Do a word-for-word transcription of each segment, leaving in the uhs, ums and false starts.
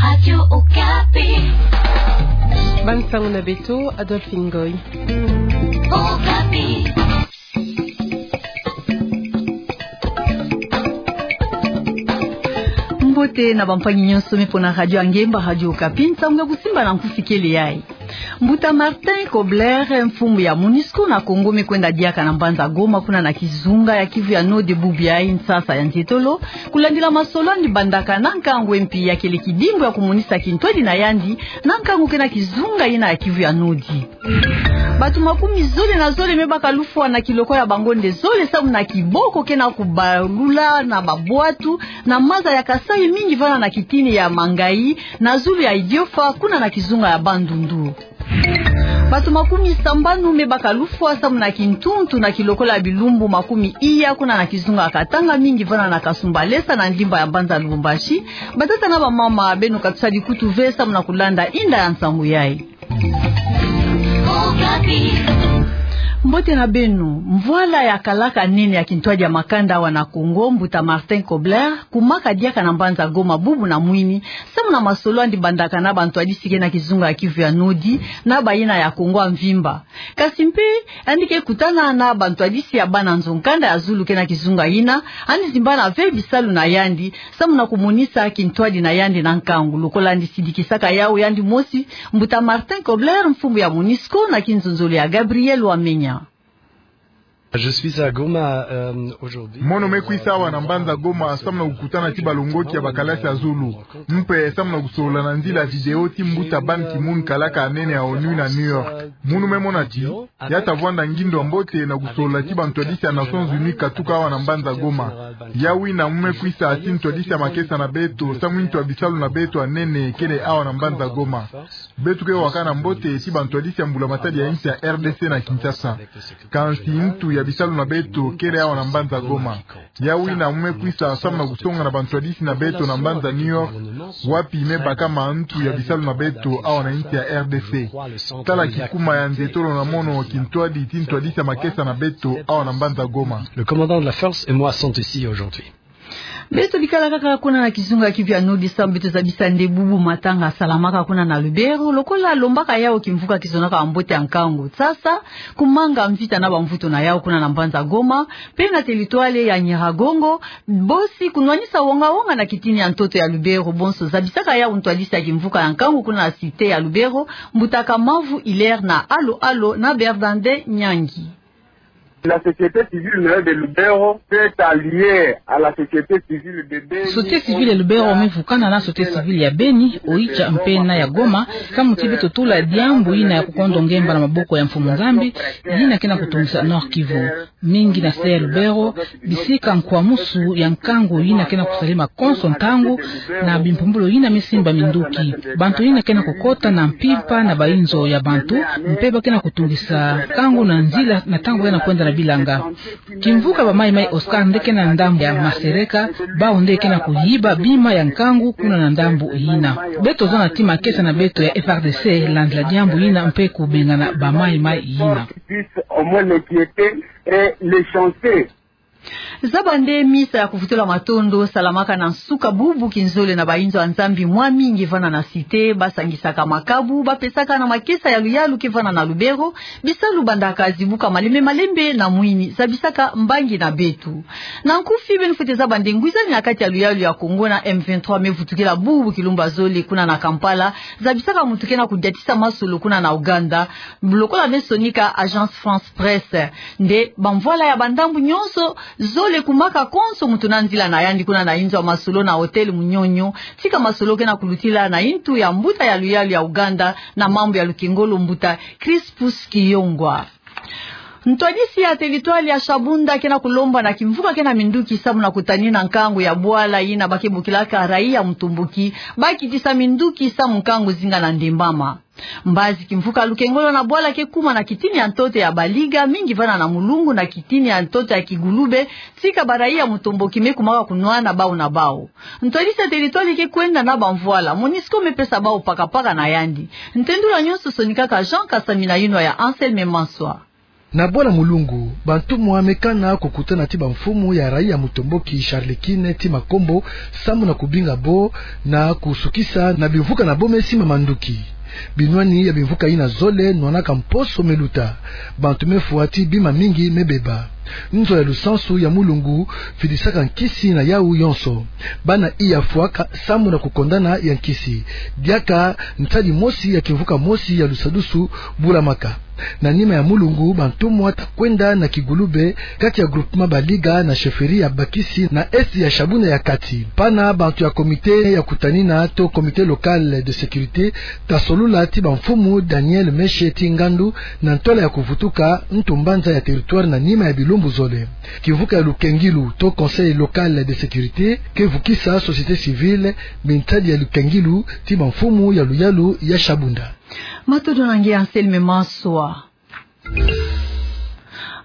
Radio Okapi. Bansango na beto, Adolphe Ngoy. Okapi. Mbote na bampangi nyonso me pona radio ya ngemba, Radio Okapi. Nsango ya kusimba na nkufi kele yayi. Mbuta Martin Kobler, mfumu ya MONUSCO na Congo, me kwenda diaka na mbanza Goma, kuna na kizunga ya Kivu ya Nord, bubu yayi nsasa ya nzietolo, kulandila masolo yandi bandaka na nkangu mpi ya kele kidimbu ya kumonisa kintwadi na yandi na nkangu ke na kizunga yina ya Kivu ya Nord. Bato makumi zole na zole me baka lufwa na kiloko ya bangonde zole samu na kiboko ke na kubalula na babwatu na maza ya Kasaï, mingi vana na kitini ya Mangayi, na zulu ya Idiofa, kuna na kizunga ya Bandundu. Bato makumi sambanu me baka lufwa samu na kintuntu na kilokola ya bilumbu makumi iya, kuna na kizunga ya Katanga, mingi vana na Kasumbalesa, na ndimba ya mbanza Lubumbashi. Batata na bamama, beno katusadi kutu ve samu na kulanda inda ya nsangu yayi. Mbote na beno. Mvwala ya kalaka nene ya kintwadi ya makanda awa na Congo, Mbuta Martin Kobler, kumaka diaka na mbanza Goma bubu na mwini, samu na masolo yandi bandaka na bantwadisi ke na kizunga ya Kivu ya Nord, na bayina ya Congo ya mvimba. Kasi mpe, yandi ke kutana na bantwadisi ya bana nzo-nkanda ya zulu ke na kizunga yina, yandi zimbana ve bisalu na yandi, samu na kumonisa kintwadi na yandi na nkangu. Lokola yandi sidikisaka yawu yandi mosi, Mbuta Martin Kobler, mfumu ya MONUSCO, na kinzonzolo ya Gabriel Wamenya. Je suis à Goma, euh, aujourd'hui. Mono me kwisa awa na mbanza Goma, samu na kukutana ti balongoti ya bakalasi ya zulu. Mpe samu na kusolola na nzila ya video ti mbuta Ban Ki-moon, kalaka nene ya ONU na New York. Munu me mona ti, ya ta vwanda ngindu ya mbote na kusolola ti bantwadisi ya Nations Unies katuka awa na mbanza Goma. Yawu yina mu me kwisa ti ntwadisi ya makesa na beto, samu ntu ya bisalu na beto ya nene kele awa na mbanza Goma. Beto ke wakana mbote ti bantwadisi ya mbula matadi ya insi ya R D C na Kinshasa. Kansi ntu ya bisalu na beto kele awa na mbanza Goma. Yawu yina mu me kwisa samu na kusonga na bantwadisi na beto na mbanza New York, wapi me bakama ntu ya bisalu na beto awa na insi ya R D C. Tala kikuma ya nzietolo na mono kintwadi ti ntwadisi ya makesa na beto awa na mbanza Goma. Le commandant de la force et moi sont ici aujourd'hui. Beto bikala kaka kuna na kizunga ya Kivu ya Nord, samu beto zabisa nde bubu matanga salamaka kuna na Lubero, lokola lombaka yawu kimvuka kizonaka bambote ya nkangu. Sasa, kumanga mvita na bamvutu na yawu kuna na mbanza Goma, mpe na territoire ya Nyiragongo, bosi kunwanisa wonga-wonga na kitini ya ntoto ya Lubero, bonso zabisaka yawu ntwadisi ya kimvuka ya nkangu kuna na cité ya Lubero, Mbuta Kamavu Hilaire na Alo Alo na Bernardin Nyangi. La société civile de Lubero s'est alliée à la société civile de Beni. Société civile ya Lubero me vukana na société civile ya Beni, Oicha mpe na ya Goma, samu ti beto tula diambu yina ya kukondo ngemba na maboko ya Mfumu Nzambi, yina ke na kutungisa Nord-Kivu. Mingi na se ya Lubero, bisika nkwamusu ya nkangu yina ke na kusalema konso ntangu, na bimpumbulu yina me simba minduki. Bantu yina ke na kukota na mpimpa na bainzo ya bantu, mpe ba ke na kutungisa nkangu na nzila na ntangu ya na kwenda na bilanga. Kimvuka ba Mai Mai Oscar nde ke na ndambu ya masereka, bawu nde ke na kuyiba bima ya nkangu kuna na ndambu yina. Beto zana ti makesa na beto ya F R D C landila diambu yina mpe kubengana ba Mai Mai yina. Au moins l'inquiéter et les chanter. Zaba nde misa ya kuvutula matondo salamaka na nsuka bubu kinzole na bainzo ya Nzambi mwa mingi vana na cité, basangisaka makabu, bapesaka na makesa ya luyalu ke vana na Lubero, bisalu bandaka zibuka malembe malembe na mwini, zabisaka mbangi na beto. Na nkufi, beno fwete zaba nde ngwizani na kati ya luyalu ya Congo na M vingt-trois me vutukila bubu kilumbu ya zole kuna na Kampala, zabisaka muntu ke na kudiatisa masolo kuna na Ouganda, lokola me sonika Agence France Presse. Nde bamvwala ya bandambu nyonso zole kumaka konso muntu na nzila na yandi kuna na inzo ya masolo na Hôtel Munyonyo, tika masolo ke na kulutila na intu ya mbuta ya luyalu ya Ouganda na mambu ya lukengolo, Mbuta Crispus Kiyongwa. Ntwadisi ya territoire ya Shabunda ke na kulomba na kimvuka ke na minduki samu na kutanina nkangu ya bwala yina ba ke bokilaka raia mutomboki, bakitisa minduki samu nkangu zinga na ndembama. Mbazi kimvuka lukengolo na bwala ke kuma na kitini ya ntoto ya Baliga, mingi vana na Mulungu na kitini ya ntoto ya Kigulube, tika ba raia mutomboki me kumaka kunwana bawu na bawu. Ntwadisi ya territoire ke kwenda na bamvwala, MONUSCO me pesa bawu pakapaka na yandi. Ntendula nyonso sonikaka Jean Kasami na yinwa ya Anselme Manswa. Na bwala mulungu, bantumwa me kana kukutana ti bamfumu ya raia Mutomboki Charles Quint ti Makombo, samu na kubinga bo na kusukisa na bimvuka na bo me si ma manduki. Binwani ya bimvuka yina zole nwanaka mposo me luta. Bantu me fwa ti bima mingi me beba. Nzo ya lusansu ya mulungu fidisaka nkisi na yawu yonso. Bana iya fwaka samu na kukondana ya nkisi. Diaka ntadi mosi ya kimvuka mosi ya lusadusu bulamaka. Na nima ya mulungu, bantumwa ta kwenda na Kigulube, kati ya groupement Baliga na chefferie ya Bakisi na est ya Shabunda ya kati. Pana bantu ya comité ya kutanina to comité local de sécurité ta solula ti bamfumu Daniel Meshe ti Ngandu na ntwala ya kuvutuka ntu mbanza ya territoire na nima ya bilumbu zole. Kimvuka ya lukengilu to conseil local de sécurité ke vukisa société civile, mintadi ya lukengilu ti bamfumu ya luyalu ya Shabunda. Matondo na nge Anselme Maswa.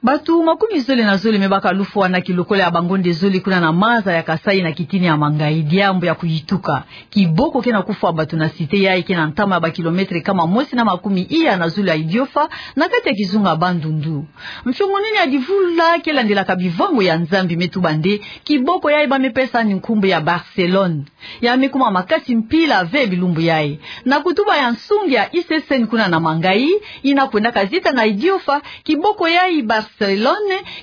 Bato makumi zole na zole me baka lufwa na kilokola ya bangonde zole kuna na maza ya Kasai na kitini ya Mangayi, diambu ya kuyituka. Kiboko ke na kufwa bato na site yayi ke na ntama ya bakilometre kama mosi na makumi iya na zulu ya Idiofa, na kati ya kizunga Bandundu. Mfiongonini ya divula ke landelaka bivango ya Nzambi me tuba nde, kiboko yayi ba me pesa ni nkumbu ya Barcelone. Ya me kuma makasi mpila ve bilumbu yayi. Na kutuba ya nsungi ya I C C N kuna na Mangayi, yina kwendaka zita na Idiofa, kiboko yayi Barcelone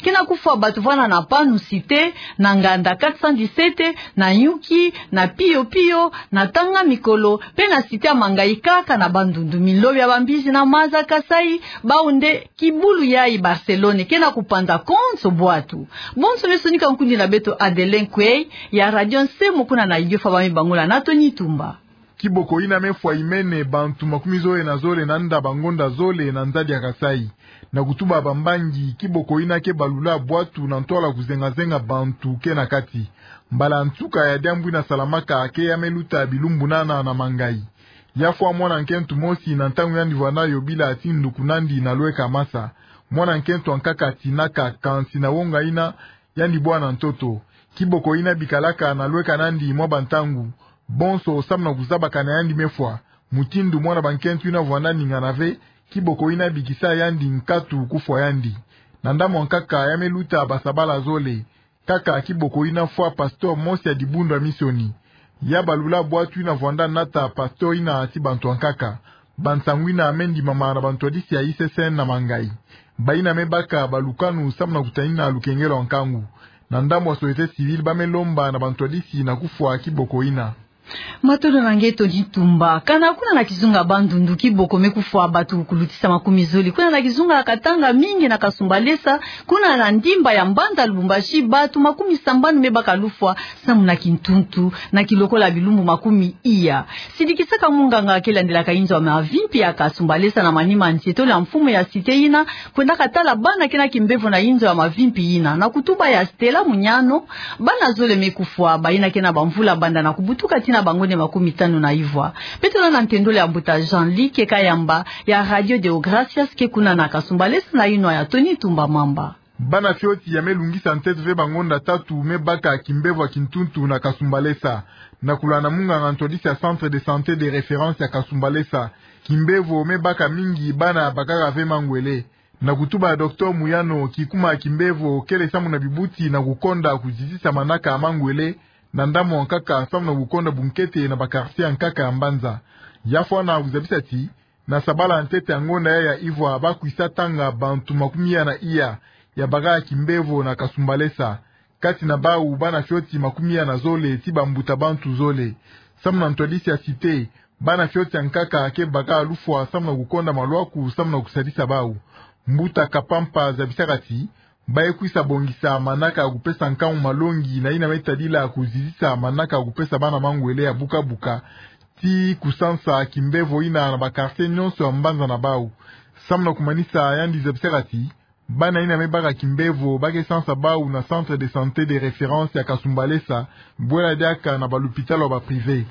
ke na kufwa bato vwanda na Panu Cité, na Nganda quatre cent dix-sept, na Nyuki, na Pio Pio, na Tanga Mikolo, pe na cité ya Mangayi kaka na Bandundu. Minlobi ya bambizi na maza Kasai, bau nde kibulu yayi Barcelone ke na kupanza konso bwatu. Bonso me sonika nkundi na beto Adelin Kwei, ya Radio Nsemo kuna na Idiofa, ba me bangula na Tony Tumba. Kiboko yina me fwa imene bantu makumi zole na zole na nda bangonda zole na nzadi ya Kasai. Na kutuba bambangi, kiboko yina ke balula bwatu na ntwala kuzengazenga bantu ke na kati. Mbala nsuka ya diambu yina salamaka ke ya me luta bilumbu nana na Mangayi. Ya fwa mwana nkento mosi na ntangu yandi vwanda yobila ti nduku nandi na lweka masa. Mwana nkento ankaka atinaka, kansi na wonga yina yandi bwa na ntoto. Kiboko yina bikalaka na lweka nandi mwa bantangu. Bonso samu na kuzabakana yandi me fwa. Mutindu mwana bankento yina vwanda ningana ve, kiboko yina bikisa yandi nkatu kufwa yandi. Na ndambu ankaka ya me luta basabala zole. Kaka kiboko yina fwa pasteur mosi ya dibundu ya misioni. Ya balula bwatu yina vwanda nata pasteur yina ti bantu ankaka. Bansangu yina me ndimama na bantwadisi ya I C C N na Mangayi. Bayina me baka balukanu samu na kutanina lukengelo ya nkangu. Na ndambu ya société civile ba me lomba na bantwadisi na kufwa kiboko yina. Matondo na nge Tony Tumba. Kana kuna na kizunga Bandundu, kiboko me kufwa bato kulutisa makumi zole. Kuna na kizunga Katanga, mingi na Kasumbalesa, kuna na ndimba ya mbanza Lubumbashi, bato makumi sambanu me baka lufwa samu na kintuntu, na kilokola bilumbu makumi iya. Sidikisaka munganga ke landelaka inzo ya mavimpi ya Kasumbalesa na manima nsietolo ya mfumu ya site yina, kwendaka tala bana ke na kimbevo na inzo ya mavimpi yina. Na kutuba ya Stella Munyano, bana zole me kufwa, bayina ke na bamvula banda na kubutuka tii na bangonde makumi tanu na ivwa. Beto landa na ntendolo ya mbuta Jean-Luc Kayamba ya Radio Deo Gracias ke kuna na Kasumbalesa na inwa ya Tony Tumba Mamba. Bana fioti ya me lungisa ntete ve bangonda tatu me baka kimbevo ya kintuntu na Kasumbalesa. Na kulanda munganga ntwadisi ya Centre de Santé de Référence ya Kasumbalesa, kimbevo me baka mingi bana bakaka ve mangwele. Na kutuba ya Docteur Munyano, kikuma ya kimbevo kele samu na bibuti na kukonda kuzizisa manaka ya mangwele, na ndambu ankaka samu na kukonda bunkete na ba quartier ankaka ya mbanza. Ya fwana kuzabisa ti, na sabala ntete ya ngonda ya ya ivwa ba kwisa tanga bantu makumi iya na iya ya bakaka kimbevo na Kasumbalesa. Kati na bau bana fioti makumi iya na zole tii bambuta bantu zole. Samu na ntwadisi ya site, bana fioti ankaka ke baka lufwa samu na kukonda malwaku samu na kusadisa bau. Mbuta Kapampa zabisaka ti, ba ye kwisa bongisa manaka ya kupesa nkangu malongi na yina me tadila kuzizisa manaka ya kupesa bana mangwele ya buka buka, tii kusansa kimbevo yina na ba quartier nyonso ya mbanza na bau. Samu na kumanisa, yandi zabisaka ti, bana yina me baka kimbevo ba ke sansa bau na Centre de Santé de Référence ya Kasumbalesa, bwela diaka na ba lupitalu ya ba privé.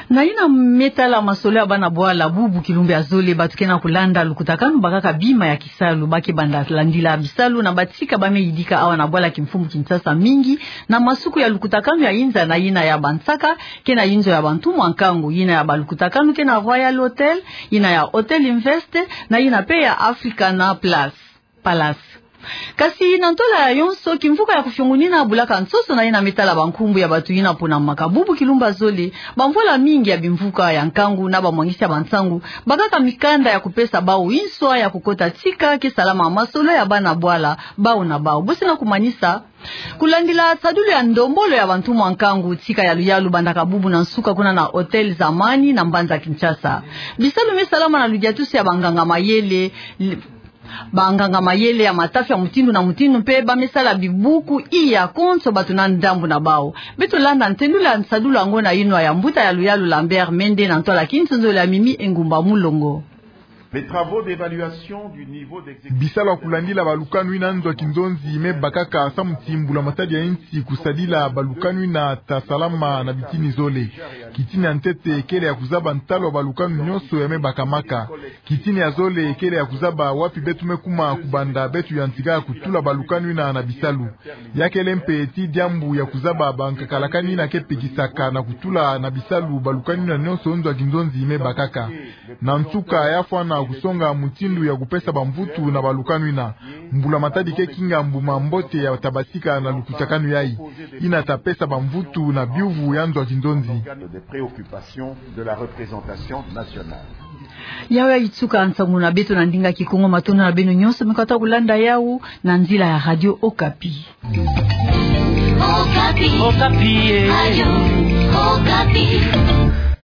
Na yina me tala masolo ya bana bwala, bubu kilumbu ya zole, bato ke na kulanda lukutakanu bakaka bima ya kisalu, ba ke banda landila bisalu na batika ba me yidika awa na bwala kimfumu Kinshasa mingi, na masuku ya lukutakanu ya inza, na yina ya Bansaka, ke na yinzo ya bantu mwa nkangu, yina ya balukutakanu ke na Royal Hotel, yina ya Hotel Invest, na yina pe ya Africana Plus, Palace. Kasi na ntola ya yonso, kimvuka ya kufiongunina bulaka nsoso na yina me tala bankumbu ya bato yina ponamaka. Bubu kilumbu ya zole, bamvwala mingi ya bimvuka ya nkangu na bamwangisi ya bansangu bakaka mikanda ya kupesa bau inswa ya kukota tika ke salama masolo ya bana bwala, bau na bau. Bosi na kumanisa, kulandila nsadulu ya ndombolo ya bantu mwa nkangu, tika ya luyalu bandaka bubu na nsuka kuna na Hotel Zamani na mbanza Kinshasa. Bisalu me salama na ludiatusi ya banganga mayele, li-, banganga mayele ya matafi ya mutindu na mutindu mpe ba me sala bibuku iya konso bato na ndambu na bau. Beto landa ntendula nsadulu yango na yinwa ya mbuta ya luyalu Lambert Mende na ntwala kinsonzolo ya Mimi Engumba Mulongo. Les travaux d'évaluation du niveau d'exécution. Bisalu ya kulandila balukanu yina nzo ya kinzonzi me bakaka samu ti mbula matadi ya insi kusadila balukanu yina ta salama na bitini zole. Kitini ya ntete kele ya kuzaba ntalu ya balukanu nyonso ya me bakamaka. Kitini ya zole kele ya kuzaba wapi beto me kuma kubanda beto yantika kutula balukanu yina na bisalu. Ya kele mpe ti diambu ya kuzaba bankakalakani yina ke pikisaka na kutula na bisalu balukanu yina nyonso nzo ya kinzonzi me bakaka. Na nsuka, ya fwana kusonga mutindu ya kupesa bamvutu na balukanu yina. Mbula matadi ke kinga mbuma mbote ya tabasika na lukutakanu yayi, yina ta pesa bamvutu na biuvu ya nzo ya kinzonzi. Des préoccupations de la représentation nationale. Yawu ya yitsuka nsangu na beto na ndinga Kikongo. Matondo na beno nyonso me kota kulanda yawu na nzila ya Radio Okapi. Okapi. Okapi, eh. Radio Okapi.